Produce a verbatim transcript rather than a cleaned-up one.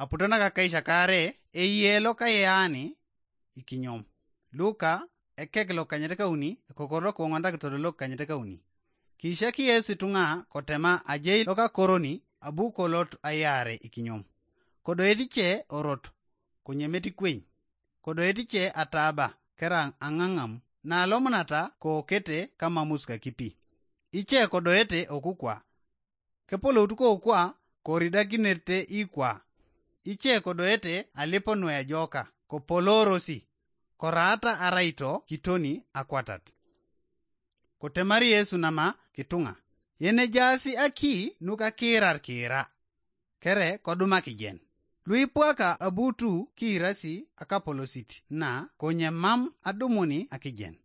Aputo nakakaisiak aare, eyie lokayeani ikinyom. Luka, ekek lokanyet kauni, ekokoro lokong'ontakitolo lokanyet kauni. Kiisiak Yesu itung'a kotema ajei lokakoroni abu kolot ayaare ikinyom. Kodoet ice orot, konyemet ikweny. Kodoet ice ataaba kera ang'ang'am, naalomunata kookete kamamus kakipi. Ice kodoete okukwa. Kepoloutu kokwa koridakinete ikwa. Ice kodoete alipo nuejoka, kopoloorosi, koraata araito kitoni akwatat. Kotemari Yesu nama kitung'a, yenejaasi aki nuka kiirar kiira, kere koduma kijen. Luipwaka abutu kiirasi akapolosit na konye mam adumuni akijen.